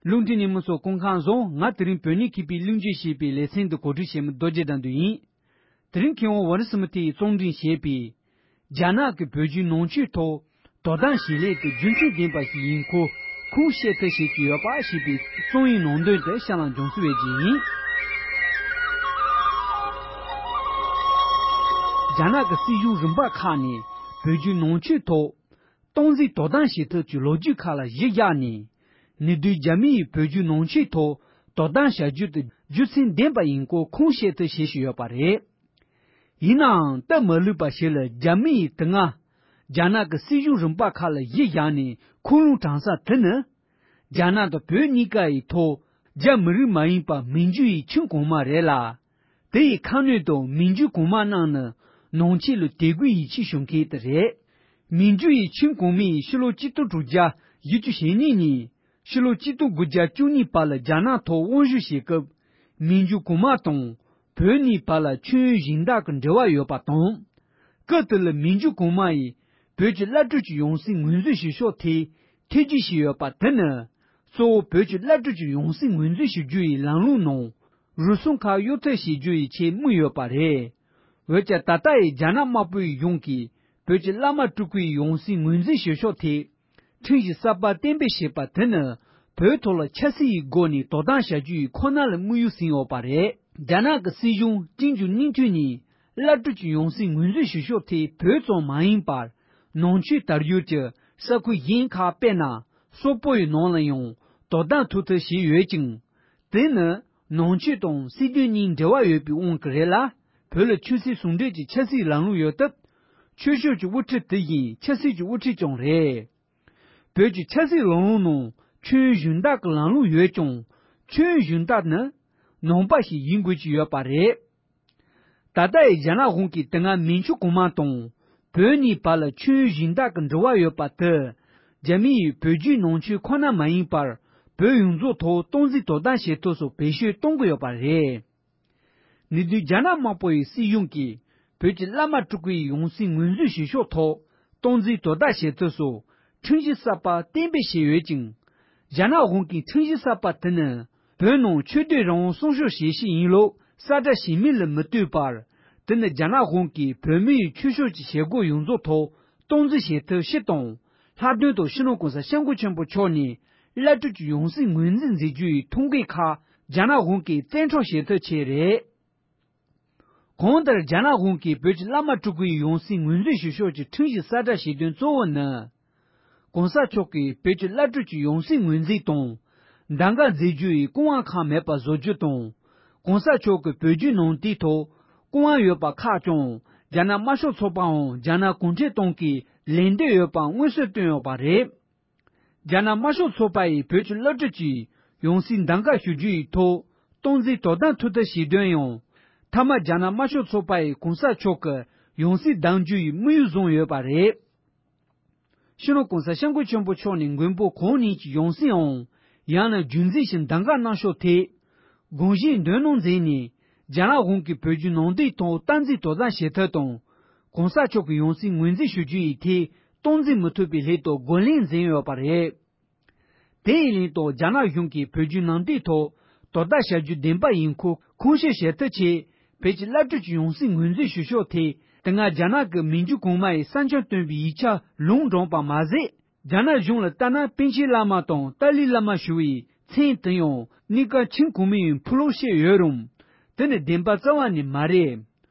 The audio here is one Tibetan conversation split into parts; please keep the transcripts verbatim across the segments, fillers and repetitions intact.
རླུང་འཕྲིན་ཉིན་མོ་ཚོ་སྐུ་ཁམས་བཟང་། ང་དེ་རིང་བོད་གནས་མཁས་པའི་གླེང་བརྗོད་ཞེས་པའི་ལེ་ཚན་འདི་གོ་སྒྲིག་བྱེད་མི་རྡོ་རྗེ་དགྲ་འདུལ་ཡིན། དེ་རིང་མཁས་དབང་ཝ་རི་སི་མི་ཐི་ཡིས་རྩོམ་སྒྲིག་བྱས་པའི། རྒྱ་ནག་གི་བོད་བརྒྱུད་ནང་ཆོས་ཐོག་དོ་དམ་བྱེད་ལས་དེ་རྒྱུ་མཚན་ལྡན་པ་ཞིག་ཡིན་སྐོར་ཁུངས་བཤད་ཐབས་བྱེད་ཀྱི་ཡོད་པ་ཞེས་པའི་རྩོམ་ཡིག་ནང་དོན་དེ་གཤམ་ལ་འབྱུང་སྲིད་པའི་རྗེས་ཡིན། རྒྱ་ནག་གི་སྲིད་གཞུང་རིམ་པ་ཁག་ནས་བོད་བརྒྱུད་ནང་ཆོས་ཐོག་སྟངས་འཛིན་དོ་དམ་བྱེད་ཐབས་ཀྱི་ལོ་རྒྱུས་ཁག་ལ་གཞི་བཞག་ནས། ཉེ་དུས་རྒྱ་མི་ཡིས་བོད་བརྒྱུད་ནང་ཆོས་ཐོག་དོ་དམ་བྱ་རྒྱུ་དེ་རྒྱུ་མཚན་ལྡན་པ་ཡིན་སྐོར་ཁུངས་བཤད་ཐབས་བྱེད་བཞིན་ཡོད་པ་རེད། ཡིན་ནའང་སྟབས་མ་ལེགས་པ་ཞིག་ལ་རྒྱ་མི་ཡིས་དེ་སྔ་རྒྱ་ནག་གི་སྲིད་གཞུང་རིམ་པ་ཁག་ལ་གཞི་བཞག་ནས་ཁུངས་ལུང་དྲངས་ས་དེ་ནི། རྒྱ་ནག་དང་བོད་གཉིས་ཀ་ཡི་ཐོག་རྒྱ་མི་རིགས་མ་ཡིན་པ་མན་ཇུ་ཡི་ཁྱིམ་གོང་མ་རེད་ལ། དེ་ཡི་ཁ་སྣོན་དུ་མན་ཇུ་གོང་མ་རྣམས་ནི་ནང་ཆོས་ལ་དད་གུས་ཡིད་ཆེས་ཞུ་མཁན་དེ་རེད། མན་ཇུ་ཡི་ཁྱིམ་གོང་མ་ཡིས་ཕྱི་ལོ་གཅིག་སྟོང་དྲུག་བརྒྱ་བཞི་བཅུ་ཞེ་གཉིས་ནས་ཕྱི་ལོ་གཅིག་སྟོང་དགུ་བརྒྱ་བཅུ་གཉིས་བར་ལ་རྒྱ་ནག་ཐོག་དབང་བསྒྱུར་བྱེད་སྐབས། མན་ཇུ་གོང་མ་དང་བོད་གཉིས་བར་ལ་མཆོད་ཡོན་སྦྱིན་བདག་གི་འབྲེལ་བ་ཡོད་པ་དང་། སྐབས་དེ་ལ་མན་ཇུ་གོང་མ་ཡིས་བོད་ཀྱི་བླ་སྤྲུལ་གྱི་ཡང་སྲིད་ངོས་འཛིན་ཞུ་ཕྱོགས་ཐད་ཐེ་བྱུས་བྱས་ཡོད་པ་དེ་ནི། གཙོ་བོ་བོད་ཀྱི་བླ་སྤྲུལ་གྱི་ཡང་སྲིད་ངོས་འཛིན་ཞུ་རྒྱུ་ཡི་ལམ་ལུགས་ནང་རུལ་སུངས་ཁག་གཡོལ་ཐབས་བྱེད་རྒྱུ་ཡི་ཆེད་དམིགས་ཡོད་པ་རེད། འོན་ཀྱང་ད་ལྟ་ཡི་རྒྱ་ནག་དམར་པོའི་གཞུང་གིས་བོད་ཀྱི་བླ་མ་སྤྲུལ་སྐུའི་ཡང་སྲིད་ངོས་འཛིན་ཞུ་ཕྱོགས་ཐད། ཁྲིམས་གཞི་གསར་པ་གཏན་འབེབས་བྱས་པ་དེ་ནི་བོད་ཐོག་ལ་ཆབ་སྲིད་ཀྱི་སྒོ་ནས་དོ་དམ་བྱ་རྒྱུ་ཡི་ཁོ་ན་ལ་དམིགས་ཡུལ་ཟིན་ཡོད་པ་རེད། རྒྱ་ནག་གི་སྲིད་གཞུང་ཅིང་ཅུང་སྙིང་ཐུན་ནས་བླ་སྤྲུལ་གྱི་ཡང་སྲིད་ངོས་འཛིན་ཞུ་ཕྱོགས་དེ་བོད་ཙམ་མ་ཡིན་པར། ནང་ཆོས་དར་ཡུལ་གྱི་ས་ཁུལ་གཞན་ཁག་དཔེར་ན་སོག་པོ་ཡི་ནང་ལ་ཡང་དོ་དམ་ཐུབ་ཐབས་བྱས་ཡོད་ཅིང་། དེ་ནི་ནང་ཆོས་དང་སྲིད་དོན་གཉིས་འབྲེལ་བ་ཡོད་པའི་དབང་གིས་རེད་ལ། བོད་ལ་ཆོས་སྲིད་ཟུང་འབྲེལ་གྱི་ཆབ་སྲིད་ལམ་ལུགས་ཡོད་སྟབས། ཆོས་ཕྱོགས་ཀྱི་དབུ་ཁྲིད་དེ་བཞིན་ཆབ་སྲིད་ཀྱི་དབུ་ཁྲིད་ཀྱང་རེད། བོད་ཀྱི་ཆབ་སྲིད་ལམ་ལུགས་ནང་མཆོད་ཡོན་སྦྱིན་བདག་གི་ལམ་ལུགས་ཡོད་ཀྱང་། མཆོད་ཡོན་སྦྱིན་བདག་ནི་ནང་པ་ཞིག་ཡིན་དགོས་ཀྱི་ཡོད་པ་རེད། ད་ལྟ་ཡི་རྒྱ་ནག་གཞུང་གིས་དེ་སྔ་མན་ཇུ་གོང་མ་དང་བོད་གཉིས་བར་ལ་མཆོད་ཡོན་སྦྱིན་བདག་གི་འབྲེལ་བ་ཡོད་པ་དེ། རྒྱ་མི་ཡིས་བོད་བརྒྱུད་ནང་ཆོས་ཁོ་ན་མ་ཡིན་པར་བོད་ཡོངས་རྫོགས་ཐོག་སྟངས་འཛིན་དོ་དམ་བྱེད་ཐབས་སུ་བེད་སྤྱོད་གཏོང་གི་ཡོད་པ་རེད། ཉེ་དུས་རྒྱ་ནག་དམར་པོ་ཡི་སྲིད་གཞུང་གིས་བོད་ཀྱི་བླ་མ་སྤྲུལ་སྐུའི་ཡང་སྲིད་ངོས་འཛིན་ཞུ་ཕྱོགས་ཐོག་སྟངས་འཛིན་དོ་བདག་བྱེད་ཐབས་སུ་ཁྲིམས་གཞི་གསར་པ་གཏན་འབེབས་བྱས་ཡོད་ཅིང་། རྒྱ་ནག་གཞུང་གིས་ཁྲིམས་གཞི་གསར་པ་དེ་ནི་བོད་ནང་ཆོས་དད་རང་དབང་སྲུང་སྐྱོབ་བྱེད་ཆེད་ཡིན་ལུགས་གསལ་བསྒྲགས་བྱས་མིན་ལ་མི་ལྟོས་པར། དེ་ནི་རྒྱ་ནག་གཞུང་གིས་བོད་མི་ཡི་ཆོས་ཕྱོགས་ཀྱི་བྱེད་སྒོ་ཡོངས་རྫོགས་ཐོག་སྟངས་འཛིན་བྱེད་ཐབས་ཤིག་དང་། ལྷག་དོན་དུ་སྤྱི་ནོར་གོང་ས་སྐྱབས་མགོན་ཆེན་པོ་མཆོག་ནས་བླ་སྤྲུལ་གྱི་ཡང་སྲིད་ངོས་འཛིན་མཛད་རྒྱུ་ཡི་ཐུགས་འགན་ཁག་རྒྱ་ནག་གཞུང་གིས་བཙན་འཕྲོག་བྱེད་ཐབས་བྱས་རེད། གང་ལྟར་རྒྱ་ནག་གཞུང་གིས་བོད་ཀྱི་བླ་མ་སྤྲུལ་སྐུའི་ཡང་སྲིད་ངོས་འཛིན་ཞུ་ཕྱོགས་ཀྱི་ཁྲིམས་གཞི་གསལ་བསྒྲགས་བྱེད་དོན་གཙོ་བོ་ནི། གོང་ས་མཆོག་གིས་བོད་ཀྱི་བླ་སྤྲུལ་གྱི་ཡང་སྲིད་ངོས་འཛིན་དང་། གདམ་ག་མཛད་རྒྱུ་ཡི་སྐུ་དབང་ཁག་མེད་པ་བཟོ་རྒྱུ་དང་། གོང་ས་མཆོག་གི་བོད་བརྒྱུད་ནང་བསྟན་ཐོག་སྐུ་དབང་ཡོད་པ་ཁག་ཀྱང་རྒྱ་ནག་དམར་ཤོག་ཚོགས་པའམ་རྒྱ་ནག་གུང་ཁྲན་ཏང་གིས་ལན་འདེབས་ཡོད་པ་མངོན་གསལ་བཏོན་ཡོད་པ་རེད། རྒྱ་ནག་དམར་ཤོག་ཚོགས་པ་ཡིས་བོད་ཀྱི་བླ་སྤྲུལ་གྱི་ཡང་སྲིད་གདམ་ག་ཞུ་རྒྱུ་ཡི་ཐོག་སྟངས་འཛིན་དོ་དམ་ཐུབ་ཐབས་བྱེད་དོན་ཡང་། མཐའ་མ་རྒྱ་ནག་དམར་ཤོག་ཚོགས་པ་ཡིས་གོང་ས་མཆོག་གི་ཡང་སྲིད་གདམ་རྒྱུ་ཡི་དམིགས་ཡུལ་བཟུང་ཡོད་པ་རེད། སྤྱི་ནོར་གོང་ས་སྐྱབས་མགོན་ཆེན་པོ་མཆོག་ནས་མགོན་པོ་གང་ཉིད་ཀྱི་ཡང་སྲིད་འོང་། ཡང་ན་རྒྱུན་འཛིན་ཞིང་གདམ་ག་གནང་ཕྱོགས་ཐད། དགོངས་བཞེས་འདོན་གནང་མཛད་ནས། རྒྱ་ནག་གཞུང་གིས་བོད་བརྒྱུད་ནང་བསྟན་ཐོག་སྟངས་འཛིན་དོ་དམ་བྱེད་ཐབས་དང་། གོང་ས་མཆོག་གི་ཡང་སྲིད་ངོས་འཛིན་ཞུ་རྒྱུ་ཡི་ཐད་སྟངས་འཛིན་མི་ཐུབ་པའི་སླད་དུ་རྒོལ་ལན་འཛིན་ཡོད་པ་རེད། དེ་ཡི་ལན་དུ་རྒྱ་ནག་གཞུང་གིས་བོད་བརྒྱུད་ནང་བསྟན་ཐོག་དོ་བདག་བྱ་རྒྱུ་བདེན་པ་ཡིན་ཁུལ་ཁུངས་སྐྱེལ་བྱེད་ཐབས་ཆེད། བོད་ཀྱི་བླ་སྤྲུལ་གྱི་ཡང་སྲིད་ངོས་འཛིན་ཞུ་ཕྱོགས་ཐད། དེ་སྔ་རྒྱ་ནག་གི་མན་ཇུ་གོང་མ་ཡིས་གསན་སྦྱོང་བཏོན་པའི་ཡིག་ཆ་ལུང་དྲངས་པ་མ་ཟད། རྒྱ་ནག་གཞུང་ལ་ལྟ་ན་པཎ་ཆེན་བླ་མ་དང་ཏཱ་ལའི་བླ་མ་ཞུ་བའི་མཚན་དེ་ཡང་གཉིས་ཀ་ཁྱིམ་གོང་མའི་ཕུ་ལུགས་བཤད་ཡོད་རུང་། དེ་ནི་བདེན་པ་རྩ་བ་ནས་མ་རེད།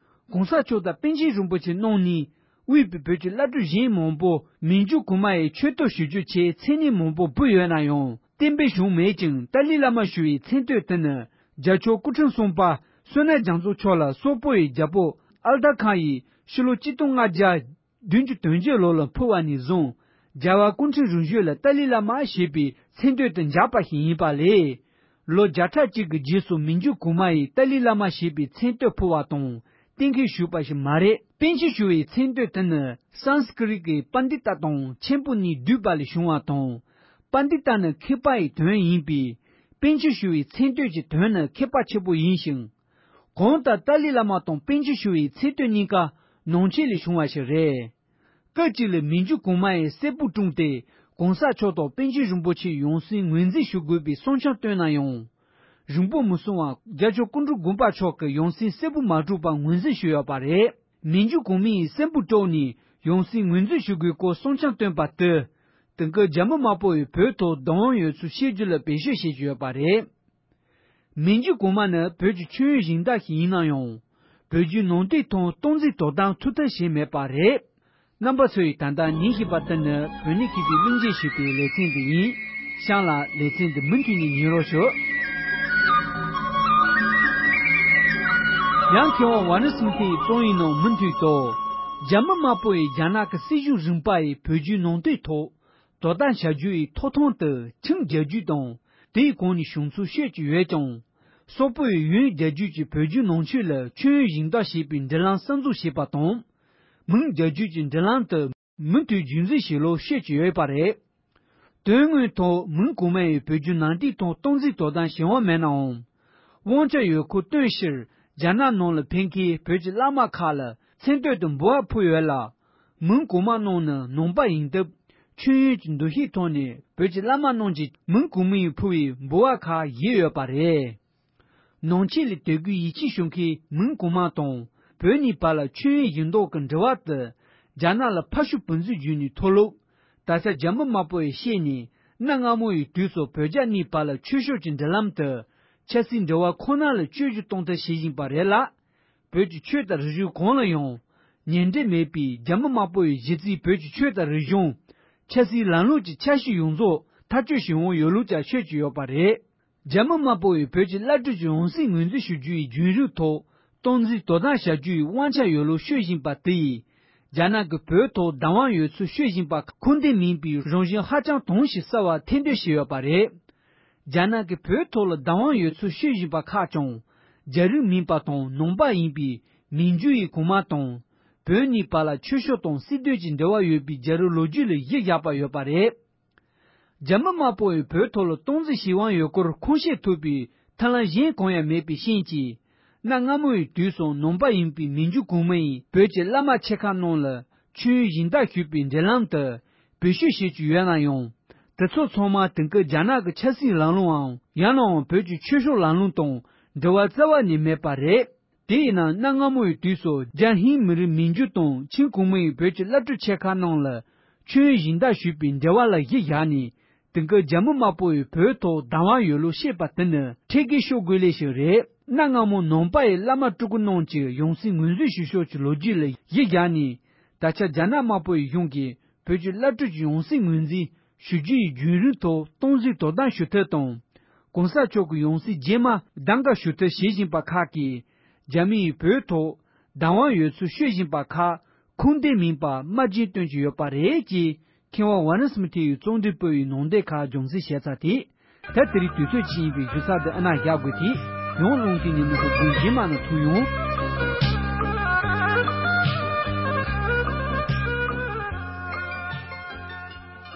གོང་ས་མཆོག་དང་པཎ་ཆེན་རིན་པོ་ཆེ་རྣམ་གཉིས་དབུས་པའི་བོད་ཀྱི་བླ་སྤྲུལ་གཞན་མང་པོ་མན་ཇུ་གོང་མ་ཡི་ཆོས་ཐོག་ཞུ་རྒྱུ་ཆེད་མཚན་སྙན་མང་པོ་འབུལ་ཡོད་ན་ཡང་གཏན་འབེབས་བྱུང་མེད་ཅིང་། ཏཱ་ལའི་བླ་མ་ཞུ་བའི་མཚན་བསྟོད་དེ་ནི་རྒྱལ་མཆོག་སྐུ་ཕྲེང་གསུམ་པ་བསོད་ནམས་རྒྱ་མཚོ་མཆོག་ལ་སོག་པོ་ཡི་རྒྱལ་པོ་ཨལ་ཏ་ཁཱན་ཡིས་ཕྱི་ལོ་གཅིག་སྟོང་ལྔ་བརྒྱ་བདུན་ཅུ་དོན་བརྒྱད་ལོ་ལ་ཕུལ་བ་ནས་བཟུང་། རྒྱལ་བ་སྐུ་ཕྲེང་རིམ་བྱོན་ལ་ཏཱ་ལའི་བླ་མ་ཞེས་པའི་མཚན་བསྟོད་དུ་འཇགས་པ་ཞིག་ཡིན་པ་ལས། ལོ་བརྒྱ་ཕྲག་གཅིག་གི་རྗེས་སུ་མན་ཇུ་གོང་མ་ཡིས་ཏཱ་ལའི་བླ་མ་ཞེས་པའི་མཚན་བསྟོད་ཕུལ་བ་དང་གཏན་འཁེལ་ཞུས་པ་ཞིག་མ་རེད། པཎ་ཆེན་ཞུ་བའི་མཚན་བསྟོད་དེ་ནི་སཾ་སྐྲྀཏ་གི་པཎྜི་ཏ་དང་མཁན་པོ་གཉིས་བསྡུས་པ་ལས་བྱུང་བ་དང་། པཎྜི་ཏ་ནི་མཁས་པ་ཡི་དོན་ཡིན་པས། པཎ་ཆེན་ཞུ་བའི་མཚན་བསྟོད་ཀྱི་དོན་ནི་མཁས་པ་ཆེན་པོ་ཡིན་ཞིང་། གང་ལྟར་ཏཱ་ལའི་བླ་མ་དང་པཎ་ཆེན་ཞུ་བའི་མཚན་བསྟོད་གཉིས་ཀ་ནང་ཆོས་ལས་བྱུང་བ་ཞིག་རེད། སྐབས་གཅིག་ལ་མན་ཇུ་གོང་མ་ཡིས་གསེར་ཕུར་བཀྲོངས་ཏེ། གོང་ས་མཆོག་དང་པཎ་ཆེན་རིན་པོ་ཆེ་ཡོངས་སྲིད་ངོས་འཛིན་ཞུ་དགོས་པའི་གསུང་བྱང་བཏོན་ན་ཡང་། རིང་པོ་མི་སོང་བར་རྒྱལ་མཆོག་སྐུ་ཕྲེང་དགུ་པ་མཆོག་གིས་ཡོངས་སྲིད་གསལ་པོ་མ་གྲུབ་པར་ངོས་འཛིན་ཞུས་ཡོད་པ་རེད། མི་འཇུ་གོང་མའི་སྲིན་པོ་དཀྲོགས་ནས་ཡོངས་སྲིད་ངོས་འཛིན་ཞུ་དགོས་སྐོར་གསུང་བྱང་བཏོན་པ་དེ། དེང་སྐབས་རྒྱ་མི་དམར་པོ་ཡིས་བོད་ཐོག་བདག་དབང་ཡོད་ཚུལ་བཤད་རྒྱུ་ལ་བེད་སྤྱོད་བྱེད་ཀྱི་ཡོད་པ་རེད། མི་འཇུ་གོང་མ་ནི་བོད་ཀྱི་མཆོད་ཡོན་སྦྱིན་བདག་ཞིག་ཡིན་ན་ཡང་། བོད་བརྒྱུད་ནང་བསྟན་ཐོག་སྟངས་འཛིན་དོ་དམ་ཐུབ་ཐབས་བྱས་མེད་པ་རེད། རྣམ་པ་ཚོས་ད་ལྟ་ཉན་བཞིན་པ་དེ་ནི་བོད་ནས་མཁས་པའི་གླེང་བརྗོད་ཞུས་པའི་ལེ་ཚན་འདི་ཡིན། གཤམ་ལ་ལེ་ཚན་འདི་མུ་མཐུད་ནས་ཉན་རོགས་ཞུ། ཡང་མཁས་དབང་ཝཱ་ཎ་སི་མཐའི་རྩོམ་ཡིག་ནང་མུ་མཐུད་དུ། རྒྱ་མི་དམར་པོ་ཡིས་རྒྱ་ནག་གི་སྲིད་གཞུང་རིམ་པ་ཡི་བོད་བརྒྱུད་ནང་བསྟན་ཐོག་དོ་དམ་བྱ་རྒྱུ་ཡི་ཐོབ་ཐང་དེ་ཆིང་རྒྱལ་རྒྱུད་དང་དེའི་གོང་ནས་བྱུང་ཚུལ་བཤད་ཀྱི་ཡོད་ཀྱང་། སོག་པོ་ཡི་ཡོན་རྒྱལ་རྒྱུད་ཀྱིས་བོད་བརྒྱུད་ནང་ཆོས་ལ་མཆོད་ཡོན་སྦྱིན་བདག་བྱེད་པའི་འབྲེལ་ལམ་གསར་འཛུགས་བྱས་པ་དང་། མིང་རྒྱལ་རྒྱུད་ཀྱི་འབྲེལ་ལམ་དེ་མུ་མཐུད་རྒྱུན་འཛིན་བྱེད་ལུགས་བཤད་ཀྱི་ཡོད་པ་རེད། དོན་དངོས་ཐོག་མིང་གོང་མ་ཡིས་བོད་བརྒྱུད་ནང་བསྟན་ཐོག་སྟངས་འཛིན་དོ་དམ་བྱེད་དབང་མེད་ནའང་། དབང་ཆ་ཡོད་ཁུལ་སྟོན་ཕྱིར་རྒྱ་ནག་ནང་ལ་ཕེབས་མཁན་བོད་ཀྱི་བླ་མ་ཁག་ལ་མཚན་བསྟོད་དུ་འབུལ་བ་ཕུལ་ཡོད་ལ། མིང་གོང་མ་རྣམས་ནི་ནང་པ་ཡིན་སྟབས། མཆོད་ཡོན་གྱི་འདུ་ཤེས་ཐོག་ནས་བོད་ཀྱི་བླ་མ་རྣམས་ཀྱིས་མིང་གོང་མ་ཡིས་ཕུལ་བའི་འབུལ་བ་ཁག་བཞེས་ཡོད་པ་རེད། ནང་ཆོས་ལ་དད་གུས་ཡིད་ཆེས་ཞུ་མཁན་མིང་གོང་མ་དང་བོད་གཉིས་བར་ལ་མཆོད་ཡོན་སྦྱིན་བདག་གི་འབྲེལ་བ་དེ་རྒྱ་ནག་ལ་ཕར་ཕྱོགས་བུ་འཛིན་བརྒྱུད་ནས་ཐོབ་ལུགས། ད་ཆ་རྒྱ་མི་དམར་པོ་ཡིས་བཤད་ནས་གནའ་སྔ་མོ་ཡི་དུས་སུ་བོད་རྒྱ་གཉིས་བར་ལ་ཆོས་ཕྱོགས་ཀྱི་འབྲེལ་ལམ་དེ་ཆབ་སྲིད་འབྲེལ་བ་ཁོ་ན་ལ་བཅོས་བསྒྱུར་གཏོང་ཐབས་བྱེད་བཞིན་པ་རེད་ལ། བོད་ཀྱི་ཆོས་དང་རིག་གཞུང་གང་ལ་ཡང་ཉེ་འབྲེལ་མེད་པའི་རྒྱ་མི་དམར་པོ་ཡི་གཞི་རྩའི་བོད་ཀྱི་ཆོས་དང་རིག་གཞུང་། ཆབ་སྲིད་ལམ་ལུགས་ཀྱི་ཆ་ཤས་ཡོངས་རྫོགས་ཐག་གཅོད་བྱེད་དབང་ཡོད་ལུགས་ཀྱང་ཤོད་ཀྱི་ཡོད་པ་རེད། རྒྱ་མི་དམར་པོ་ཡིས་བོད་ཀྱི་བླ་སྤྲུལ་གྱི་ཡང་སྲིད་ངོས་འཛིན་ཞུ་རྒྱུ་ཡི་བརྒྱུད་རིམ་ཐོག་སྟངས་འཛིན་དོ་དམ་བྱ་རྒྱུ་ཡི་དབང་ཆ་ཡོད་ལུགས་ཤོད་བཞིན་པ་དེ་ཡིས། རྒྱ་ནག་གིས་བོད་ཐོག་བདག་དབང་ཡོད་ཚུལ་ཤོད་བཞིན་པ་ཁུངས་ལྡན་མིན་པའི་རང་བཞིན་ཧ་ཅང་དྭངས་ཤིང་གསལ་བ་ཐེར་འདོན་བྱས་ཡོད་པ་རེད། རྒྱ་ནག་གིས་བོད་ཐོག་ལ་བདག་དབང་ཡོད་ཚུལ་ཤོད་བཞིན་པ་ཁག་ཀྱང་། རྒྱ་རིགས་མིན་པ་དང་ནང་པ་ཡིན་པའི་མིང་རྒྱུད་ཡི་གོང་མ་དང་། བོད་གཉིས་བར་ལ་ཆོས་ཕྱོགས་དང་སྲིད་དོན་གྱི་འབྲེལ་བ་ཡོད་པའི་རྒྱ་རིགས་ལོ་རྒྱུས་ལ་གཞི་བཞག་པ་ཡོད་པ་རེད། རྒྱ་མི་དམར་པོ་ཡིས་བོད་ཐོག་ལ་སྟངས་འཛིན་བྱེད་དབང་ཡོད་སྐོར་ཁུངས་སྐྱེལ་ཐུབ་པའི་ཐབས་ལམ་གཞན་གང་ཡང་མེད་པའི་རྐྱེན་གྱིས། གནའ་སྔ་མོ་ཡི་དུས་སུ་ནང་པ་ཡིན་པའི་མིང་རྒྱུད་གོང་མ་ཡིས་བོད་ཀྱི་བླ་མ་ཆེ་ཁག་རྣམས་ལ་མཆོད་ཡོན་སྦྱིན་བདག་ཞུས་པའི་འབྲེལ་ལམ་དེ་བེད་སྤྱོད་བྱེད་ཀྱི་ཡོད་ན་ཡང་། དེ་ཚོ་ཚང་མ་དེང་སྐབས་རྒྱ་ནག་གི་ཆབ་སྲིད་ལམ་ལུགས་འམ་ཡང་ནའང་བོད་ཀྱི་ཆོས་ཕྱོགས་ལམ་ལུགས་དང་འབྲེལ་བ་རྩ་བ་ནས་མེད་པ་རེད། དེས་ན་གནའ་སྔ་མོ་ཡི་དུས་སུ་རྒྱ་ཧིན་མི་རིགས་མིང་རྒྱུད་དང་ཆིང་གོང་མ་ཡིས་བོད་ཀྱི་བླ་སྤྲུལ་ཆེ་ཁག་རྣམས་ལ་མཆོད་ཡོན་སྦྱིན་བདག་ཞུས་པའི་འབྲེལ་བ་ལ་གཞི་བཞག་ནས། དེང་སྐབས་རྒྱ་མི་དམར་པོ་ཡིས་བོད་ཐོག་བདག་དབང་ཡོད་ལུགས་བཤད་པ་དེ་ནི་ཁྲེལ་དགོད་ཤོར་དགོས་ལེ་ཞིག་རེད། གནའ་སྔ་མོ་ནང་པ་ཡི་བླ་མ་སྤྲུལ་སྐུ་རྣམས་ཀྱི་ཡང་སྲིད་ངོས་འཛིན་ཞུ་ཕྱོགས་ཀྱི་ལོ་རྒྱུས་ལ་གཞི་བཞག་ནས། ད་ཆ་རྒྱ་ནག་དམར་པོ་ཡི་གཞུང་གིས་བོད་ཀྱི་བླ་སྤྲུལ་གྱི་ཡང་སྲིད་ངོས་འཛིན་ཞུ་རྒྱུ་ཡི་བརྒྱུད་རིམ་ཐོག་སྟངས་འཛིན་དོ་དམ་ཞུ་ཐབས་དང་། གོང་ས་མཆོག་གི་ཡང་སྲིད་རྗེས་མ་གདམ་ག་ཞུ་ཐབས་བྱེད་བཞིན་པ་ཁག་གིས། རྒྱ་མི་ཡིས་བོད་ཐོག་བདག་དབང་ཡོད་ཚུལ་ཤོད་བཞིན་པ་ཁག་ཁུངས་ལྡན་མིན་པ་དམར་རྗེན་སྟོན་གྱི་ཡོད་པ་རེད་ཅེས། མཁས་དབང་ཝཱ་རན་སི་མི་ཐི་ཡི་རྩོམ་སྒྲིག་པུའུ་ཡི་ནང་དོན་ཁག་རྒྱང་སྲིང་བྱས་ཚར་ཏེ། ད་དེ་རིང་དུས་ཚོད་ཕྱིན་པའི་གཞི་ས་འདི་ཨ་ན་བཞག་དགོས་ཏེ། ཡང་རླུང་གི་ཉི་མ་ཧུ་དགུན་གཞན་མ་ན་ཐུག་ཡོང་།